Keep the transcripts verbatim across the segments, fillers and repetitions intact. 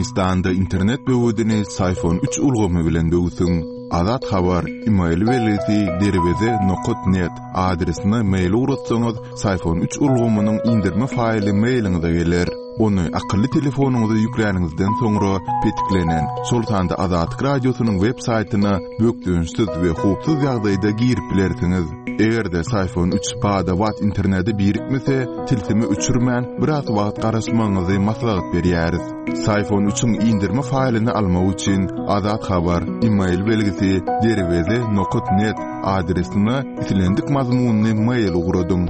Türkmenistanda internet böwedini Syfon üç ulgamy bilen böwsüň. Azat Habar, email belgisi derweze nokat net adresine mail ugratsaňyz, Syfon üç ulgamynyň indirme faýly mailiňize geler. Ony akylly telefonyňyza ýükläniňizden soňra petiklenen, şol sanda Azatlyk Radiosynyň web saýtyna bökdençsiz we howpsuz ýagdaýda girip bilersiňiz. Eger-de Syfon üç bada-bat internete birikmese, tilsimi öçürmän biraz wagt garaşmagyňyzy maslahat berýäris. Syfon üçiň indirme faýlyny almak üçin Azat Habar, email belgisi derweze nokat net adresine islendik mazmunyny mail ugradyň.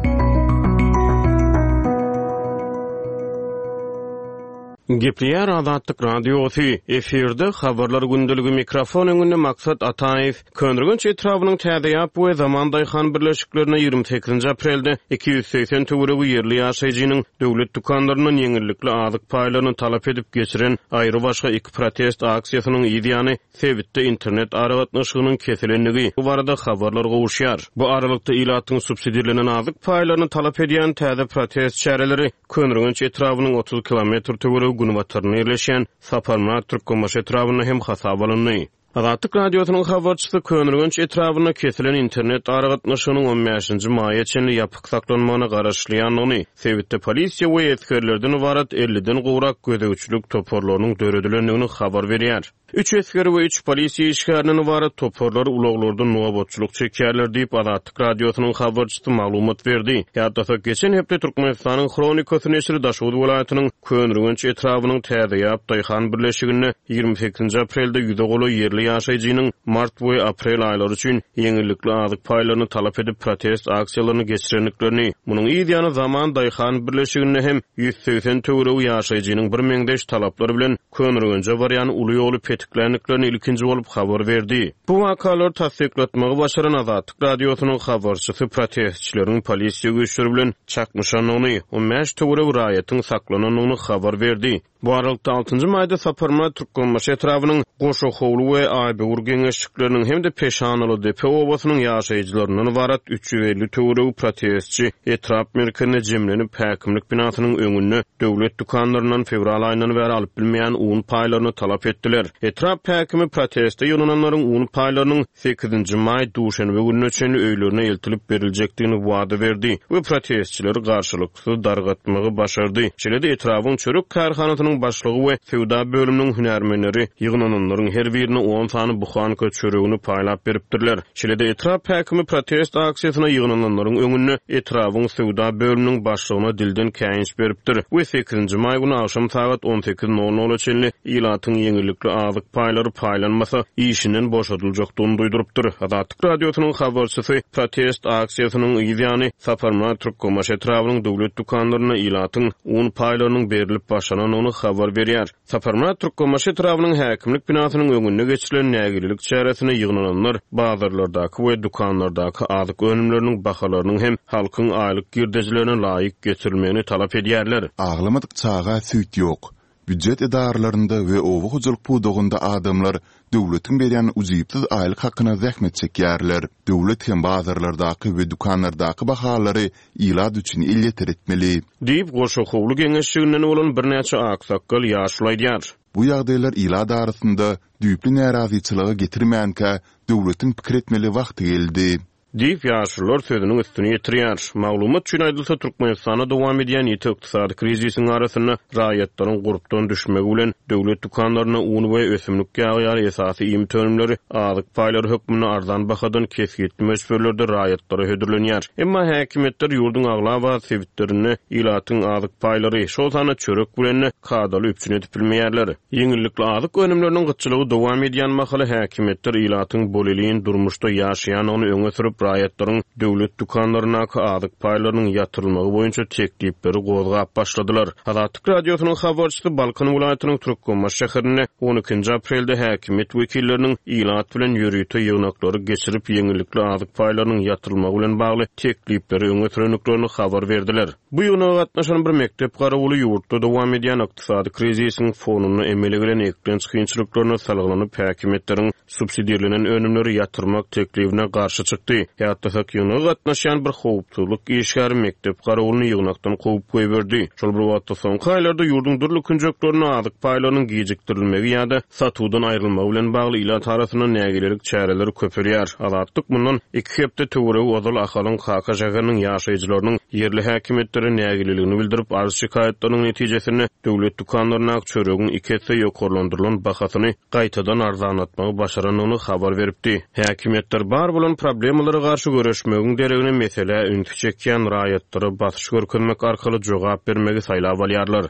Gepleýär Azatlyk Radiosy, efirde habarlar gündeligi mikrofon öňünde Maksat Ataýew. Köneürgenç etrabynyň Täzeýap we Zaman Daýhan birleşiklerine ýigrimi sekizinji aprelde iki ýüz segsen töweregi ýerli ýaşaýjynyň döwlet dükanlaryndan ýeňillikli azyk paýlaryny talap edip geçiren aýry başga iki protest aksiýasynyň ýany sebitde internet aragatnaşygynyň kesilendigi bu barada habarlar gowuşýar. Bu aralykda ilatyň subsidirlenen azyk paýlaryny talap edýän täze protest çäreleri Köneürgenç etrabynyň otuz kilometr töweregi günbatarynda ýerleşýän Saparmyrat Türkmenbaşy etrabynda hem hasap alyndy. Azatlyk Radiosynyň habarçysy Köneürgenç etrabynda kesilen internet aragatnaşygynyň on bäşinji maýa çenli ýapyk saklanmagyna garaşylýandygyny, sebitde polisiýa we esgerlerden ybarat elliden gowrak gözegçilik toparlarynyň döredilendigini habar berýär. Üç esger we üç polisiýa işgärinden ybarat toparlar ulaglarda nobatçylyk çekýärler diýip Azatlyk Radiosynyň habarçysy maglumat berdi. Ýatlasak, geçen hepde Türkmenistanyň Hronikasy neşiri Daşoguz welaýatynyň Köneürgenç etrabynyň Täzeýap Daýhan birleşiginde ýigrimi sekizinji aprelde ýüze golaý ýerli ýaşaýjynyň mart we aprel aýlary üçin ýeňillikli azyk paýlaryny talap edip protest aksiýalaryny geçirendiklerini, munuň yz ýany Zaman Daýhan birleşiginde hem ýüz segsen töweregi ýaşaýjynyň bir meňzeş talaplar bilen Köneürgenje barýan uly ýoly petiklendiklerini ilkinji bolup habar berdi. Bu wakalar tassyklatmagy başaran Azatlyk Radiosynyň habarçysy protestçileriň polisiýa güýçleri bilen çaknyşandygyny, on bäş töweregi raýatyň saklanandygyny habar berdi. Bu aralykda altynjy maýda Saparmyrat Türkmenbaşy etrabynyň Goşahowly we Aýböwür geňeşlikleriniň hem-de Peşanaly Depe obasynyň ýaşaýjylaryndan ybarat üç ýüz elli töweregi protestçi etrap merkezine jemlenip häkimlik binasynyň öňünde döwlet dükanlaryndan fewral aýyndan bäri alyp bilmeýän un paýlaryny talap etdiler. Etrap häkimi proteste ýygnananlaryň un paýlarynyň sekizinji maý duşenbe gününe çenli öýlerine eltilip beriljekdigini wada berdi we protestçileri garşylyksyz dargatmagy başardy. Şeýle-de etrabyň çörek kärhanasynyň başlygy we söwda bölüminiň hünärmenleri ýygnananlaryň her birine on sany buhanka çöregini paýlap beripdirler. Şeýle-de etrap häkimi protest aksiýasyna ýygnananlaryň öňünde etrabyň söwda bölüminiň başlygyna dilden käýinç beripdir we sekizinji maý güni agşam sagat on sekiz nol nola çenli ilatyň ýeňillikli azyk paýlary paýlanmasa işinden boşadyljakdygyny duýdurypdyr. Azatlyk Radiosynyň habarçysy protest aksiýasynyň yz ýany Saparmyrat Türkmenbaşy etrabynyň döwlet dükanlarynda ilatyň un paýlarynyň berilip başlanandygyny habar berýär. Saparmyrat Türkmenbaşy etrabynyň häkimlik binasynyň öňünde geçirilen nägilelik çäresine ýygnananlar bazarlardaky we dükanlardaky azyk önümleriniň bahalarynyň hem halkyň aýlyk girdejilerine laýyk getirilmegini talap edýärler. Aglamadyk çaga süýt ýok. Býujet edaralarynda we oba hojalyk pudagynda adamlar döwletiň berýän ujypsyz aýlyk hakyna zähmet çekýärler. Döwlet hem bazarlardaky we dükanlardaky bahalary ilat üçin elýeter etmeli. Diýip, Goşahowly geňeşliginden bolan birnäçe aksakgal ýaşuly aýdýar. Bu ýagdaýlar ilat arasynda düýpli närazyçylyga getirmänkä döwletiň pikir etmeli wagty geldi. Diýip, ýaşulular sözüniň üstüni ýetirýär. Maglumat üçin aýdylsa, Türkmenistanda dowam edýän ýiti ykdysady krizisiň arasynda raýatlaryň gurpdan düşmegi bilen döwlet dükanlaryna un we ösümlik ýagy ýaly esasy iýmit önümleri azyk paýlary hökmünde arzan bahadan kesgitli möçberlerde raýatlara hödürlenýär. Emma häkimiýetler ýurduň aglaba sebitlerinde ilatyň azyk paýlary, şol sanda çörek bilen kadaly üpjün edip bilmeýärler. Ýeňillikli azyk önümleriniň gytçylygy dowam edýän mahaly häkimiýetler ilatyň bolelin durmuşda ýaşaýandygyny öňe sürüp raýatlaryň döwlet dükanlaryndaky azyk paýlarynyň ýatyrylmagy boýunça teklipleri gozgap başladylar. Azatlyk Radiosynyň habarçysy Balkan welaýatynyň Türkmenbaşy şäherinde on ikinji aprelde häkimiýet wekilleriniň ilat bilen ýörite ýygnaklary geçirip ýeňillikli azyk paýlarynyň ýatyrylmagy bilen bagly teklipleri öňe sürendiklerini habar berdiler. Bu ýygnaga gatnaşan bir mekdep garawuly ýurtda dowam edýän ykdysady krizisiň fonunda emele gelen eklenç kynçylyklaryna salgylanyp häkimiýetleriň subsidirlenen önümleri ýatyrmak teklibine garşy çykdy. Ýatlasak, ýygnaga gatnaşýan bir howpsuzlyk işgäri mekdep garawulyny ýygnakdan kowup goýberdi. Şol bir wagtda soňky aýlarda ýurduň dürli künjeklerinde azyk paýlarynyň gijikdirilmegi ýa-da satuwdan aýrylmagy bilen bagly ilat arasynda nägilelik çäreleri köpelýär. Azatlyk mundan iki hepde töweregi ozal Ahalyň Kaka şäheriniň ýaşaýjylarynyň ýerli häkimiýetlere nägileligini bildirip, arz şikaýatlarynyň netijesinde döwlet dükanlaryndaky çöregiň iki esse ýokarlandyrylan bahasyny gaýtadan arzanlatmagy başarandygyny habar beripdi. Häkimiýetler bar bolan problemalara garşy göreşmegiň deregine meselä ünsi çekýän raýatlara basyş görkezmek arkaly jogap bermegi saýlap alýarlar.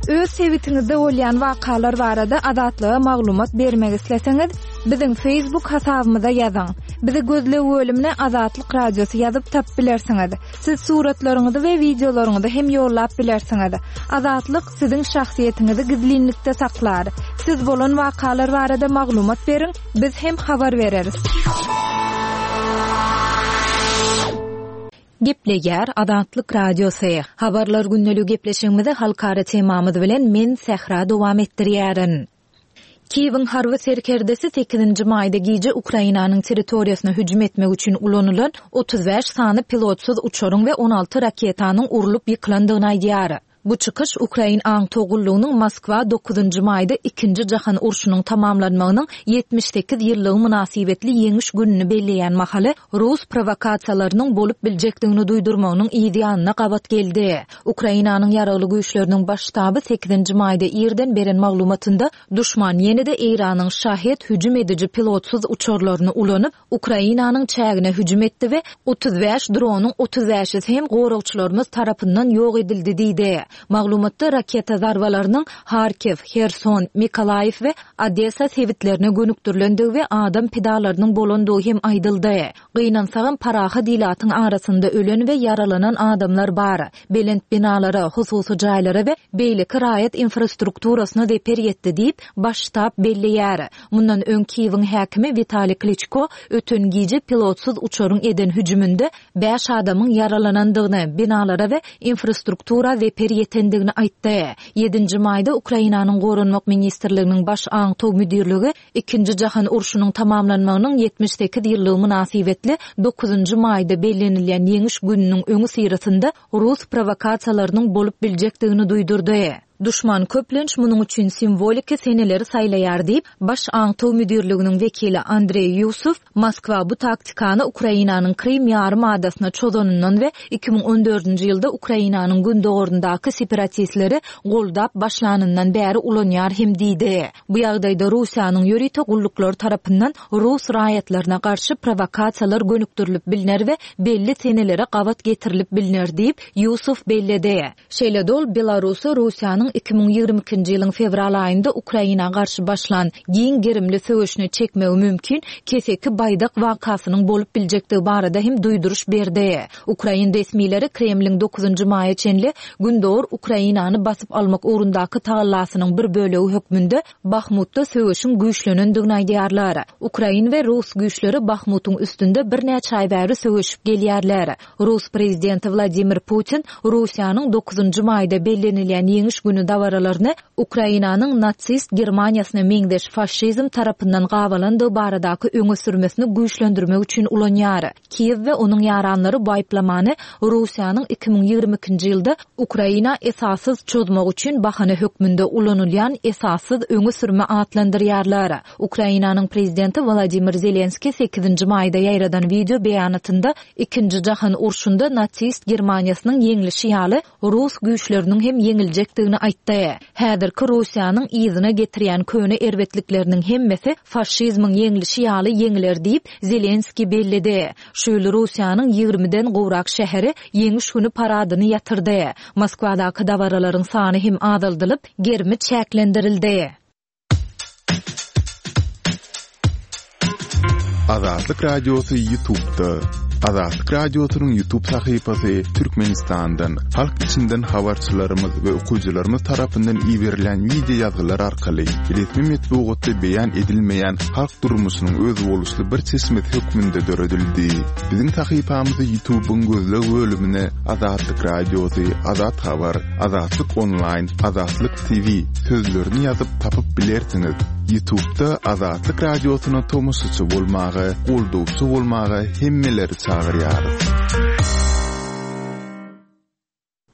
Öz sebitiňizde bolýan wakalar barada Azatlyga maglumat bermek isleseňiz, biziň Facebook hasabymyza ýazyň. Bizi gözleg bölümine Azatlyk Radiosy ýazyp tapyp bilersiňiz. Siz suratlaryňyzy we wideolaryňyzy hem ýollap bilersiňiz. Azatlyk siziň şahsyýetiňizi gizlinlikde saklar. Siz bolan wakalar barada maglumat beriň, biz hem habar bereris. Gepleýär Azatlyk Radiosy. Habarlar gündeligi gepleşigimizi halkara temamyz bilen men Sähra dowam etdirýärin. Kiýewiň harby serkerdesi sekizinji maýda gije Ukrainanyň territoriýasyna hüjüm etmek üçin ulanylan otuz bäş sany pilotsyz uçaryň we on alty raketanyň urlup ýykylandygyny aýdýar. Bu çykyş Ukrain aňtaw gullugynyň Moskwa dokuzynjy maýda ikinji jahan urşunyň tamamlanmagynyň ýetmiş sekiz ýyllygy mynasybetli ýeňiş gününi belleýän mahaly Rus provokasiýalarynyň bolup biljekdigini duýdurmagynyň ýanyna gabat geldi. Ukrainanyň ýaragly güýçleriniň baş ştaby sekizinji maýda irden beren maglumatynda duşman ýene-de Eýranyň Şahed hüjüm ediji pilotsyz uçarlaryny ulanyp Ukrainanyň çägine hüjüm etdi we otuz bäş dronyň otuz bäşisi hem goragçylarymyz tarapyndan ýok edildi diýdi. Maglumatda raketa zarbalarynyň Harkiw, Herson, Mikolaýew we Odessa sebitlerine gönükdirilendigi we adam pidalarynyň bolandygy hem aýdyldy. Gynansagam parahat ilatyň arasynda ölen we ýaralanan adamlar bar. Belent binalara, hususy jaýlara we beýleki raýat infrastrukturasyna zeper ýetdi diýip, baş ştab belleýär. Mundan öň Kiýewiň häkimi Witaliý Kliçko öten gije pilotsyz uçaryň eden hüjüminde bäş adamyň ýaralanandygyny, binalara we infrastruktura zeper ýetendigini aýtdy. Ýedinji maýda Ukrainanyň Goranmak Ministrliginiň baş aňtaw müdirligi ikinji jahan urşunyň tamamlanmagynyň ýetmiş sekiz ýyllygy mynasybetli dokuzynjy maýda bellenilýän ýeňiş gününiň öňi syrasynda Rus provokasiýalarynyň bolup biljekdigini duýdurdy. Duşman köplenç munuň üçin simwoliki seneleri saýlaýar diýip, baş aňtaw müdirliginiň wekili Andreý Ýusuf Moskwa bu taktikany Ukrainanyň Krym ýarym adasyna çozanyndan we iki müň on dördünji ýylda Ukrainanyň gündogaryndaky separatistleri goldap başlanyndan bäri ulanýar hem diýdi. Bu ýagdaýda Russiýanyň ýörite gulluklary tarapyndan Rus raýatlaryna garşy provokasiýalar gönükdirilip bilner we belli senelere gabat getirilip bilner diýip, Ýusuf belledi. Şeýle dol Belarusy Russiýanyň iki müň ýigrimi ikinji ýylyň fewral aýynda Ukraina garşy başlan giň gerimli söweşine çekmegi mümkin keseki baýdak wakasynyň bolup biljekdigi barada hem duýduryş berdi. Ukrain resmileri Kremliň dokuzynjy maýa çenli Gündogar Ukrainany basyp almak ugrundaky tagallasynyň bir bölegi hökmünde Bahmutda söweşiň güýçlenendigini aýdýarlar. Ukrain we Rus güýçleri Bahmutyň üstünde birnäçe aý bäri söweşip gelýärler. Rus prezidenti Wladimir Putin Russiýanyň dokuzynjy maýda bellenilýän ýeňiş günü dabaralaryny Ukrainanyň natsist Germaniýasyna meňzeş faşizm tarapyndan gabalandygy baradaky öňe sürmesini güýçlendirmek üçin ulanýar. Kiýew we onuň ýaranlary bu aýyplamany Russiýanyň iki müň ýigrimi ikinji ýylda Ukraina esassyz çozmak üçin bahana hökmünde ulanylýan esassyz öňe sürme atlandyrýarlar. Ukrainanyň prezidenti Wladimir Zelenskiý sekizinji maýda ýaýradan video beýanatynda ikinji jahan urşunda natsist Germaniýasynyň ýeňlişi ýaly Rus güýçleriniň hem ýeňiljekdigini aýtdy. Häzirki Russiýanyň yzyna getirýän köne erbetlikleriniň hemmesi faşizmiň ýeňlişi ýaly ýeňiler diýip Zelenskiý belledi. Şu ýyl Russiýanyň ýigrimiden gowrak şäheri ýeňiş günü paradyny ýatyrdy. Moskwadaky dabaralaryň sany hem azaldylyp, gerimi çäklendirildi. Azatlyk Radiosy YouTube'da. Azatlyk Radiosynyň YouTube sahypasy Türkmenistandan, halk içinden habarçylarymyz we okyjylarymyz tarapyndan iberilen wideo ýazgylar arkaly resmi metbugatda beýan edilmeýän halk durmuşynyň özboluşly bir çeşmesi hökmünde döredildi. Biziň sahypamyzy YouTube'yň gözleg bölümine Azatlyk Radiosy, Azat Habar, Azatlyk Online, Azatlyk T V sözlerini ýazyp tapyp bilersiňiz. YouTube'da Azatlyk Radiosyna tomaşaçy bolmaga, goldawçy bolmaga hemmeleri çagyrýarys.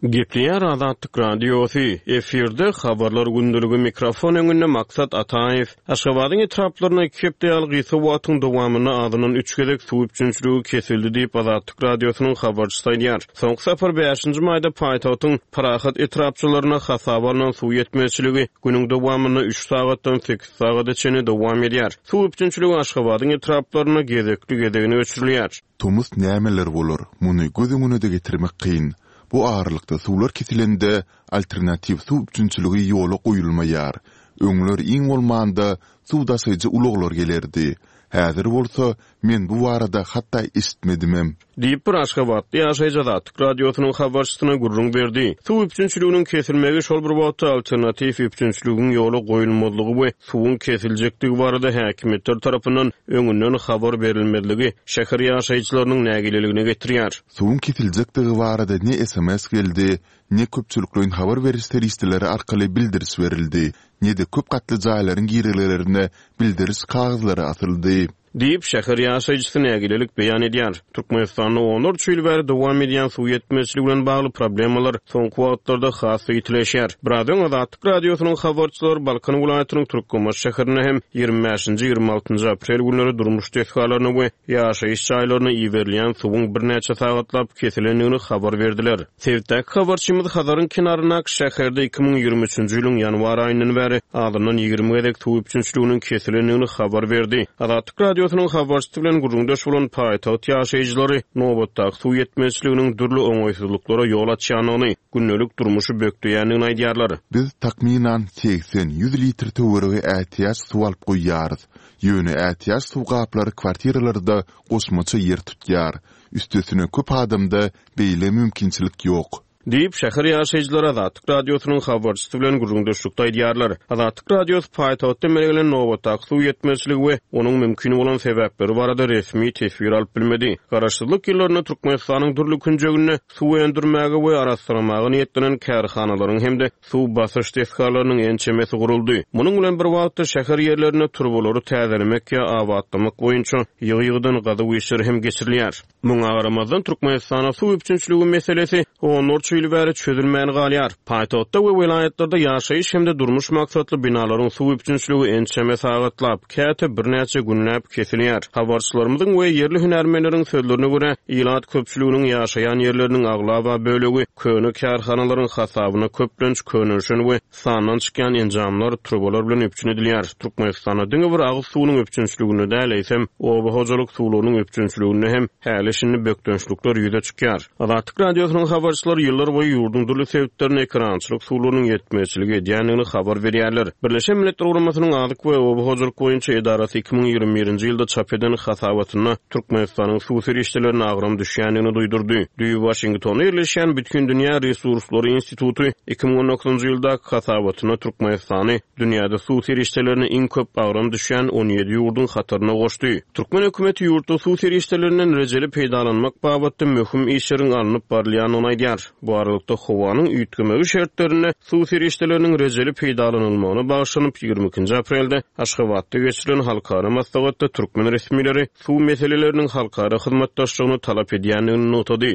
Gepleýär Azatlyk Radiosy. Efirde habarlar gündeligi, mikrofon öňünde Maksat Ataýew. Aşgabadyň etraplarynda iki hepde ýaly gysga wagtyň dowamynda azyndan üç gezek suw üpjünçiligi kesildi diýip, Azatlyk Radiosynyň habarçysy aýdýar. Soňky sapar bäşinji maýda paýtagtyň Parahat etrapçalarynda hasaba alnan suw ýetmezçiligi günüň dowamynda üç sagatdan sekiz sagada çenli dowam edýär. Suw üpjünçiligi Aşgabadyň etraplarynda gezekli gezegine öçürilýär. Tomus nämeler bolar, muny göz öňüne-de getirmek kyn. Bu aralykda suwlar kesilende alternatiw suw üpjünçiligi ýola goýulmaýar. Öňler iň bolmanda suw daşaýjy ulaglar gelerdi. Häzir bolsa men bu barada hatda eşitmedimem. Diýip, bir aşgabatly ýaşaýjy Azatlyk Radiosynyň habarçysyna gürrüň berdi. Suw üpjünçiliginiň kesilmegi şol bir wagtda alternatiw üpjünçiligiň ýola goýulmazlygy we suwuň kesiljekdigi barada häkimiýetler tarapyndan öňünden habar berilmezligi şäher ýaşaýjylarynyň nägileligine getirýär. Suwuň kesiljekdigi barada ne S M S geldi, ne köpçülikleýin habar beriş serişdeleri arkaly bildiriş berildi, ne-de köp gatly jaýlaryň girelgelerine bildiriş kagyzlary asyldy. Diýip, şäher ýaşaýjysy nägilelik beýan edýär. Türkmenistanda onlarça ýyl bäri dowam edýän suw ýetmezçiligi bilen bagly problemalar soňky wagtlarda has ýitileşýär. Biraz öň Azatlyk Radiosynyň habarçylary Balkan welaýatynyň Türkmenbaşy şäherinde hem ýigrimi bäşinji, ýigrimi altynjy aprel günleri durmuş desgalaryna we ýaşaýyş jaýlaryna iberilýän suwuň birnäçe sagatlap kesilendigini habar berdiler. Sebitdäki habarçymyz Hazaryň kenaryndaky şäherde iki müň ýigrimi üçünji ýylyň ýanwar aýyndan bäri azyndan ýigrimi gezek suw üpjünçiliginiň kesilendigini habar berdi. Azatlyk Radiosynyň habarçysy bilen gürrüňdeş bolan paýtagt ýaşaýjylary nobatdaky suw ýetmezçiliginiň dürli oňaýsyzlyklara ýol açýandygyny, gündelik durmuşy bökdeýändigini aýdýarlar. Biz takmynan segsen ýüz litr töweregi ätiýaç suw alyp goýýarys. Ýöne ätiýaç suw gaplary kwartiralarda goşmaça ýer tutýar. Üstesine köp adamda beýle mümkinçilik ýok. Diýip, şäher ýaşaýjylary Azatlyk Radiosynyň habarçysy bilen gürrüňdeşlikde aýdýarlar. Azatlyk Radiosy paýtagtda emele gelen nobatdaky suw ýetmezçiligi we onuň mümkin bolan sebäpleri barada resmi teswir alyp bilmedi. Garaşsyzlyk ýyllarynda Türkmenistanyň dürli künjeginde suw öndürmäge we arassalamaga niýetlenen kärhanalaryň hem-de suw basyş desgalarynyň ençemesi guruldy. Munuň bilen bir wagtda şäher ýerlerinde turbalary täzelemek ýa abatlamak boýunça ýygy-ýygydan gazuw işleri hem geçirilýär. Muňa garamazdan Türkmenistanda suw üpjünçiligi meselesi onlarça ýyl bäri çözülmän galýar. Paýtagtda we welaýatlarda ýaşaýyş hem-de durmuş maksatly binalaryň suw üpjünçiligi ençeme sagatlap, käte birnäçe günläp kesilýär. Habarçylarymyzyň we ýerli hünärmenleriň sözlerine görä, ilat köpçüliginiň ýaşaýan ýerleriniň aglaba bölegi köne kärhanalaryň hasabyna köplenç könelişen we sandan çykýan enjamlar, turbalar bilen üpjün edilýär. Türkmenistanda diňe bir agyz suwunyň üpjünçiliginde däl, eýsem oba hojalyk suwlarynyň üpjünçiliginde hem häli şindi bökdençlikler ýüze çykýar. Azatlyk Radiosynyň habarçylary ýyllar boýy ýurduň dürli sebitlerinde ekerançylyk suwlarynyň ýetmezçiligi edýändigini habar berýärler. Birleşen Milletler Guramasynyň Azyk we Oba hojalyk boýunça edarasy iki müň ýigrimi birinji ýylda çap eden hasabatynda Türkmenistanyň suw serişdelerine agram düşýändigini duýdurdy. Düýbi Waşingtonda ýerleşýän Bütindünýä Resurslary instituty iki müň on dokuzynjy ýyldaky hasabatynda Türkmenistany dünýäde suw serişdelerine iň köp agram düşýän on ýedi ýurduň hataryna goşdy. Türkmen hökümeti ýurtda suw serişdelerinden rejeli peýdalanmak babatda möhüm işleriň alnyp barylýandygyny aýdýar. Bu aralykda howanyň üýtgemegi şertlerinde suw serişdeleriniň rejeli peýdalanylmagyna bagyşlanyp ýigrimi ikinji aprelde Aşgabatda geçirilen halkara maslahatda türkmen resmileri suw meseleleriniň halkara hyzmatdaşlygyny talap edýändigini nygtady.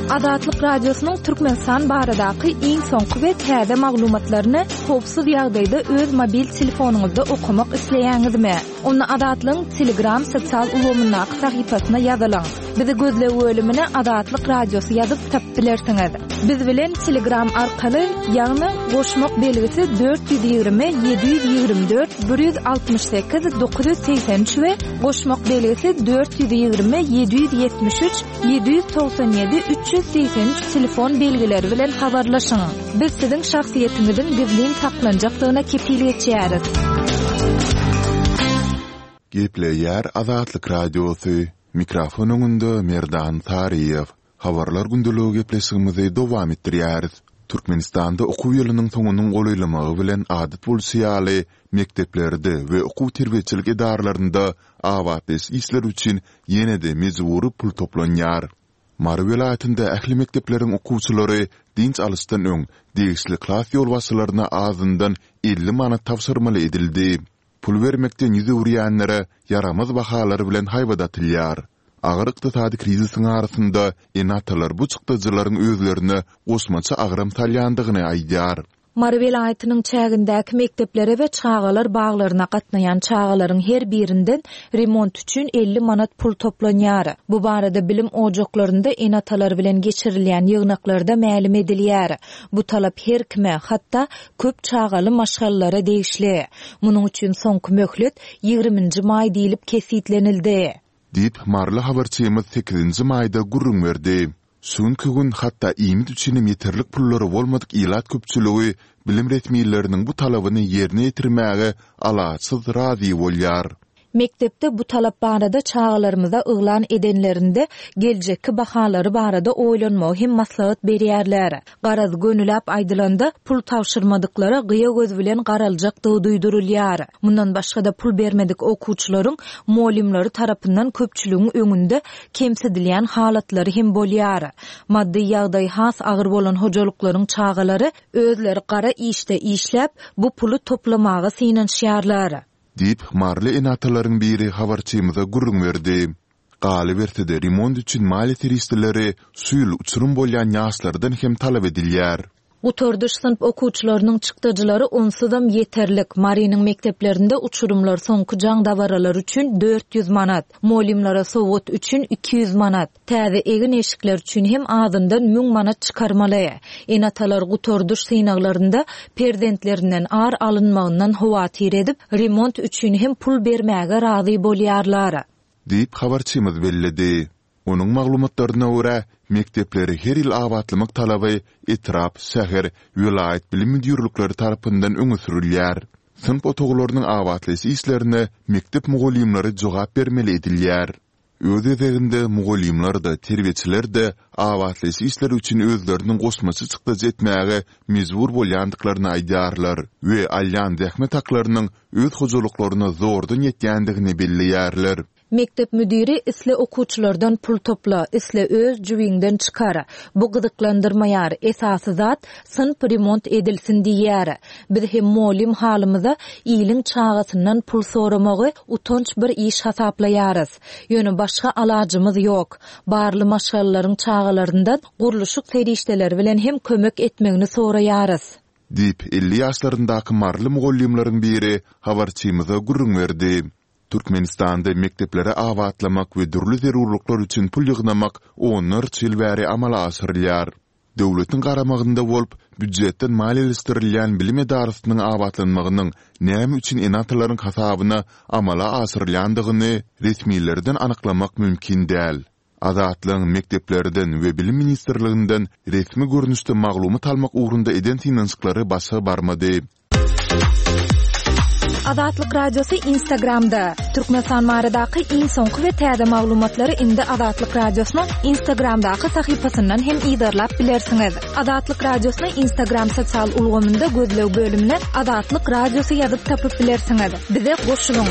Azatlyk Radiosynyň Türkmenistan baradaky iň soňky we täze maglumatlaryny howpsuz ýagdaýda öz mobil telefonyňyzda okamak isleýäňizmi? Onda Azatlygyň Telegram sosial ulgamyndaky sahypasyna ýazylyň. Bizi gözleg bölümine Azatlyk Radiosy ýazyp tapyp bilersiňiz. Biz bilen Telegram arkaly, ýagny goşmak belgisi dört ýüz ýigrimi, ýedi ýüz ýigrimi dört, bir ýüz altmyş sekiz, dokuz ýüz segsen üç we goşmak belgisi dört ýüz ýigrimi, ýedi ýüz ýetmiş üç, ýedi ýüz togsan ýedi, üç ýüz segsen üç telefon belgileri bilen habarlaşyň. Biz siziň şahsyýetiňiziň gizlin saklanjakdygyna kepil geçýäris. Gepleýär Gepleýär Azatlyk Radiosy, mikrofon öňünde Merdan Saryýew. Habarlar gündeligi gepleşigimizi dowam etdirýäris. Türkmenistanda okuw ýylynyň soňunyň golaýlamagy bilen adat bolşy ýaly, mekdeplerde we okuw-terbiýeçilik edaralarynda abatlaýyş işleri üçin ýene-de mejbury pul toplanýar. Mary welaýatynda ähli mekdepleriň okuwçylary dynç alyşdan öň degişli klas ýolbaşçylaryna azyndan elli manat tabşyrmaly edildi. Pul bermekden ýüz öwürýänlere ýaramaz bahalar bilen haýbat atylýar. Agyr ykdysady krizisiň arasynda ene-atalar bu çykdajylaryň özlerine goşmaça agram salýandygyny aýdýar. Mary welaýatynyň çägindäki mekdeplere we çagalar baglaryna gatnaýan çagalaryň her birinden remont üçin elli manat pul toplanýar. Bu barada bilim ojaklarynda ene-atalar bilen geçirilýän ýygnaklarda mälim edilýär. Bu talap her kime, hatda köp çagaly maşgalalara degişli. Munuň üçin soňky möhlet ýigriminji maý diýlip kesgitlenildi. Diýip, maryly habarçymyz sekizinji maýda gürrüň berdi. Şu günki gün hatda iýmit üçinem ýeterlik pullary bolmadyk ilat köpçüligi bilim resmileriniň bu talabyny ýerine ýetirmäge alaçsyz razy bolýar. Mekdepde bu talap barada çagalarymyza yglan edenlerinde geljekki bahalary barada oýlanmagy hem maslahat berýärler. Garaz, gönüläp aýdylanda, pul tabşyrmadyklara gyýa göz bilen garaljakdygy duýdurylýar. Mundan başga-da pul bermedik okuwçylaryň mugallymlary tarapyndan köpçüligiň öňünde kemsidilýän halatlary hem bolýar. Maddy ýagdaýy has agyr bolan hojalyklaryň çagalary özleri gara işde işläp, bu puly toplamaga synanyşýarlar. Diýip, maryly ene-atalaryň biri habarçymyza gürrüň berdi. Galyberse-de, remont üçin maliýe serişdeleri şu ýyl uçurym bolýan ýaşlardan hem talap edilýär. Gutardyş synp okuwçylarynyň çykdajylary onsuzam ýeterlik. Marynyň mekdeplerinde uçurymlar soňky jaň dabaralary üçin dört ýüz manat, mugallymlara sowgat üçin iki ýüz manat, täze egin-eşikler üçin hem azyndan müň manat çykarmaly. Ene-atalar gutardyş synaglarynda perzentlerinden ar alynmagyndan howatyr edip, remont üçin hem pul bermäge razy bolýarlar. Diýip, habarçymyz belledi. Onuň maglumatlaryna görä, mekdepleri her ýyl abatlamak talaby etrap, şäher, welaýat bilim müdirlikleri tarapyndan öňe sürülýär. Synp otaglarynyň abatlaýyş işlerine mekdep mugallymlary jogap bermeli edilýär. Öz gezeginde mugallymlar-da, terbiýeçiler-de abatlaýyş işleri üçin özleriniň goşmaça çykdajy etmäge mejbur bolýandyklaryny aýdýarlar we alýan zähmet haklarynyň öz hojalyklaryna zordan ýetýändigini belleýärler. Mekdep müdiri isle okuwçylardan pul topla, isle öz jübiňden çykar. Bu gyzyklandyrmaýar, esasy zat synp remont edilsin diýýär. Biz hem mugallym halymyza iliň çagasyndan pul soramagy utanç bir iş hasaplaýarys. Ýöne başga alajymyz ýok. Barly maşgalalaryň çagalaryndan gurluşyk serişdeleri bilen hem kömek etmegini soraýarys. Diýip, elli ýaşlaryndaky maryly mugallymlaryň biri habarçymyza gürrüň berdi. Türkmenistanda mekdepleri abatlamak we dürli zerurlyklar üçin pul ýygnamak onlarça ýyl bäri amala aşyrylýar. Döwletiň garamagynda bolup, býujetden maliýeleşdirilýän bilim edarasynyň abatlanmagynyň näme üçin ene-atalaryň hasabyna amala aşyrylýandygyny resmilerden anyklamak mümkin däl. Azatlygyň mekdeplerden we Bilim ministrliginden resmi görnüşde maglumat almak ugrunda eden synanyşyklary başa barmady. Azatlyk Radiosy Instagramda. Türkmenistan baradaky iň soňky we täze maglumatlary indi Azatlyk Radiosynyň Instagramdaky sahypasyndan hem yzarlap bilersiňiz. Azatlyk Radiosyny Instagram sosial ulgamynda gözleg bölümine Azatlyk Radiosy ýazyp tapyp bilersiňiz. Bize goşulyň!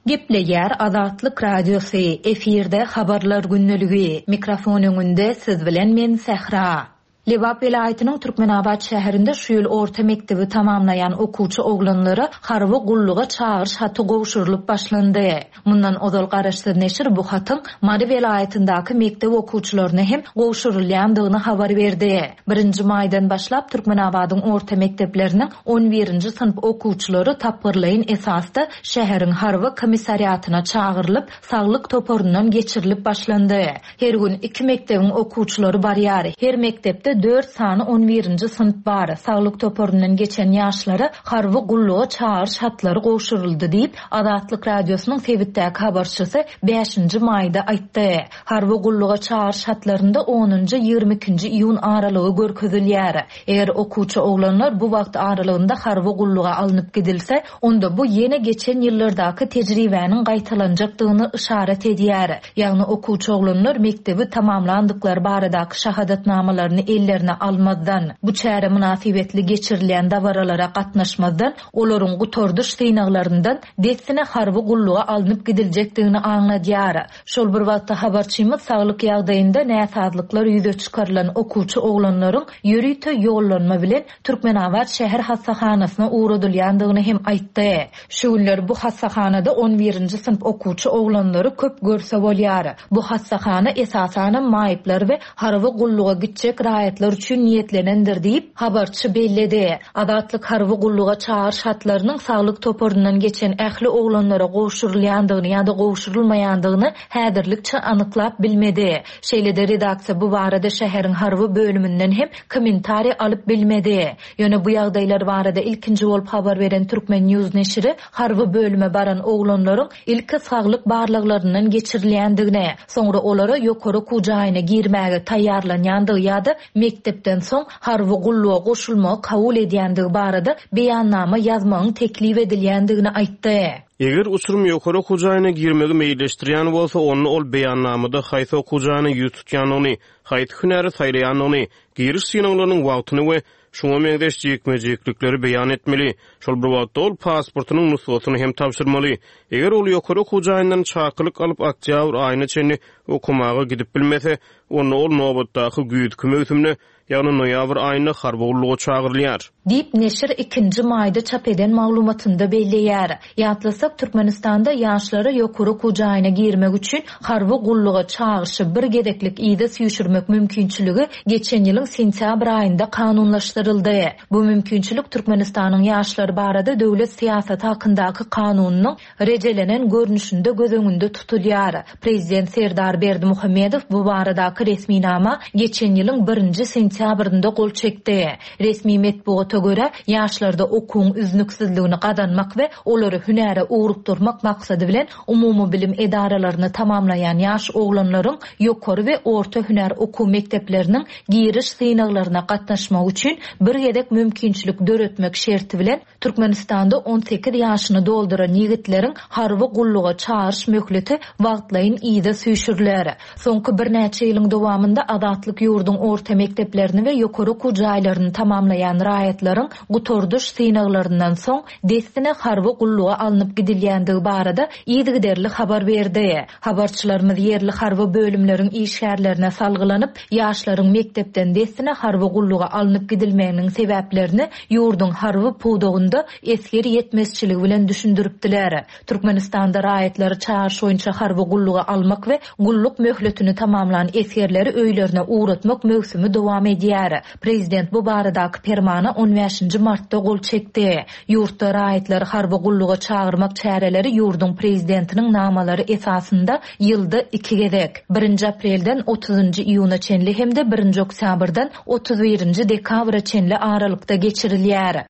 Gepleýär Azatlyk Radiosy, efirde Habarlar gündeligi, mikrofon öňünde siz bilen men Sähra. Lebap welaýatynyň Türkmenabat şäherinde şu ýyl orta mekdebi tamamlaýan okuwçy oglanlara harby gulluga çagyryş haty gowşurylyp başlandy. Mundan ozal garaşsyz neşir bu hatyň Mary welaýatyndaky mekdep okuwçylaryna hem gowşurylýandygyny habar berdi. Birinji maýdan başlap Türkmenabadyň orta mekdepleriniň on birinji synp okuwçylary tapgyrlaýyn esasda şäheriň harby komissariatyna çagyrylyp, saglyk toparyndan geçirilip başlandy. Her gün iki mekdebiň okuwçylary barýar. Her mekdepde Mekdepde dört sany on birinji synp bar. Saglyk toparyndan geçen ýaşlara harby gulluga çagyryş hatlary gowşuryldy diýip, Azatlyk Radiosynyň sebitdäki habarçysy bäşinji maýda aýtdy. Harby gulluga çagyryş hatlarynda onunjy ýigrimi ikinji iýun aralygy görkezilýär. Eger okuwçy oglanlar bu wagt aralygynda harby gulluga alnyp gidilse, onda bu ýene geçen ýyllardaky tejribäniň gaýtalanjakdygyny işaret edýär. Ýagny okuwçy oglanlar mekdebi tamamlandyklary baradaky şahadatnamalaryny ellerine almazdan, bu çäre mynasybetli geçirilýän dabaralara gatnaşmazdan, olaryň gutardyş synaglaryndan dessine harby gulluga alnyp gidiljekdigini aňladýar. Şol bir wagtda habarçymyz saglyk ýagdaýynda näsazlyklar ýüze çykarylan okuwçy oglanlaryň ýörite ýollanma bilen Türkmenabat şäher hassahanasyna ugradylýandygyny hem aýtdy. Şu günler bu hassahanada on birinji synp okuwçy oglanlary köp görse bolýar. Bu hassahana esasanam maýyplar we harby gulluga gitjek raýatlar üçin niýetlenendir diýip habarçy belledi. Azatlyk harby gulluga çagyryş hatlarynyň saglyk toparyndan geçen ähli oglanlara gowşurylýandygyny ýa-da gowşurylmaýandygyny häzirlikçe anyklap bilmedi. Şeýle-de redaksiýa bu barada şäheriň harby bölüminden hem kommentariý alyp bilmedi. Ýöne bu ýagdaýlar barada ilkinji bolup habar beren Türkmen News neşiri harby bölüme baran oglanlaryň ilki saglyk barlaglaryndan geçirilýändigini, soňra olara ýokary okuw jaýyna girmäge taýýarlanýandygy ýa-da mekdepden soň harby gulluga goşulmagy kabul edýändigi barada beýannama ýazmagyň teklip edilýändigini aýtdy. Eger uçurum ýokary okuw jaýyna girmegi meýilleşdirýän bolsa, onda ol beýannamada haýsy okuw jaýyna ýüz tutýandygyny, haýsy hünäri saýlaýandygyny, giriş synaglarynyň wagtyny we şuňa meňzeş jikme-jiklikleri beýan etmeli. Şol bir wagtda ol pasportynyň nusgasyny hem tabşyrmaly. Eger ol ýokary okuw jaýyndan çakylyk alyp oktýabr aýyna çenli okumaga gidip bilmese, onda ol nobatdaky güýzki möwsümde, ýagny noýabr aýynda harby gulluga çagyrylýar. Diýip neşir ikinji maýda çap eden maglumatynda belleýär. Ýatlasak, Türkmenistanda ýaşlara ýokary okuw jaýyna girmek üçin harby gulluga çagyryşy bir gezeklik ýa süýşürmek mümkinçiligi geçen ýylyň sentýabr aýynda kanunlaşdyryldy. Bu mümkinçilik Türkmenistanyň ýaşlar barada döwlet syýasaty hakyndaky kanunynyň rejelenen görnüşinde göz öňünde tutulýar. Prezident Serdar Berdimuhamedow bu baradaky resminama geçen ýylyň birinji sentýabrynda gol çekdi. Resmi metbugata görä, ýaşlarda okuwyň üznüksizligini gazanmak we olary hünäre ugrukdurmak maksady bilen umumy bilim edaralaryny tamamlaýan ýaş oglanlaryň ýokary we orta hünär okuw mekdepleriniň giriş synaglaryna gatnaşmak üçin bir gezek mümkinçilik döretmek şerti bilen Türkmenistanda on sekiz ýaşyny dolduran ýigitleriň harby gulluga çagyryş möhleti wagtlaýyn ýa süýşüriler. Soňky birnäçe ýylyň dowamynda Azatlyk ýurduň orta mekdeplerini we ýokary okuw jaýlaryny tamamlaýan raýatlaryň gutardyş synaglaryndan soň dessine harby gulluga alnyp gidilýändigi barada yzygiderli habar berdi. Habarçylarymyz ýerli harby bölümleriň işgärlerine salgylanyp, ýaşlaryň mekdepden dessine harby gulluga alnyp gidilmeginiň sebäplerini ýurduň harby pudagynda esger ýetmezçiligi bilen düşündiripdiler. Türkmenistanda raýatlary çagyryş boýunça harby gulluga almak we gulluk möhletini tamamlan esgerleri öýlerine ugratmak möwsümi dowam edýär. Prezident bu baradaky permana on bäşinji martda gol çekdi. Ýurtda raýatlary harby gulluga çagyrmak çäreleri ýurduň prezidentiniň namalary esasynda ýylda iki gezek, birinji aprelden otuzynjy iýuna çenli hem-de birinji oktýabrdan otuz birinji dekabra çenli aralykda geçirilýär.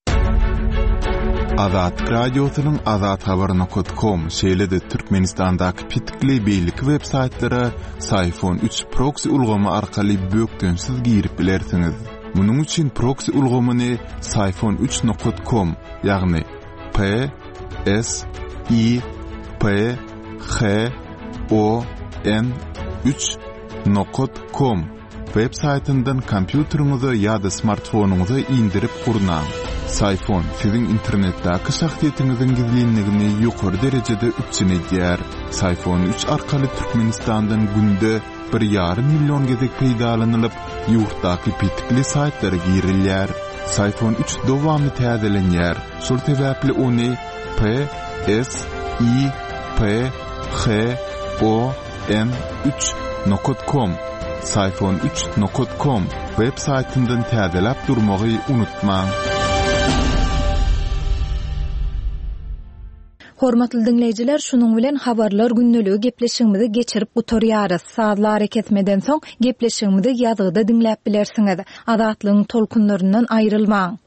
Azatlyk Radiosynyň Azat Habar nokta com, şeýle-de Türkmenistandaky pitikli beýleki web saýtlara Syfon üç proxy ulgamy arkaly bökdençsiz girip bilersiňiz. Munuň üçin proxy ulgamyny Syfon üç nokta com, ýagny P S I P H O N üç nokta com web saýtyndan kompýuteriňize ýa-da smartfonyňyza indirip gurnaň. Syfon siziň internetdäki şahsyýetiňiziň gizlinligini ýokary derejede üpjün edýär. Syfon üç arkaly Türkmenistandan günde bir ýarym million gezek peýdalanylyp, ýurtdaky pitikli saýtlara girilýär. Syfon üç dowamly täzelenýär. Şol sebäpli ony P S I P H O N üç nokta com, Syfon üç nokta com web saýtyndan täzeläp durmagy unutmaň. Hormatly diňleýjiler, şunuň bilen Habarlar gündeligi gepleşigimizi geçirip gutarýarys. Sazly arakesmeden soň gepleşigimizi ýazgyda diňläp bilersiňiz. Azatlygyň tolkunlaryndan aýrylmaň!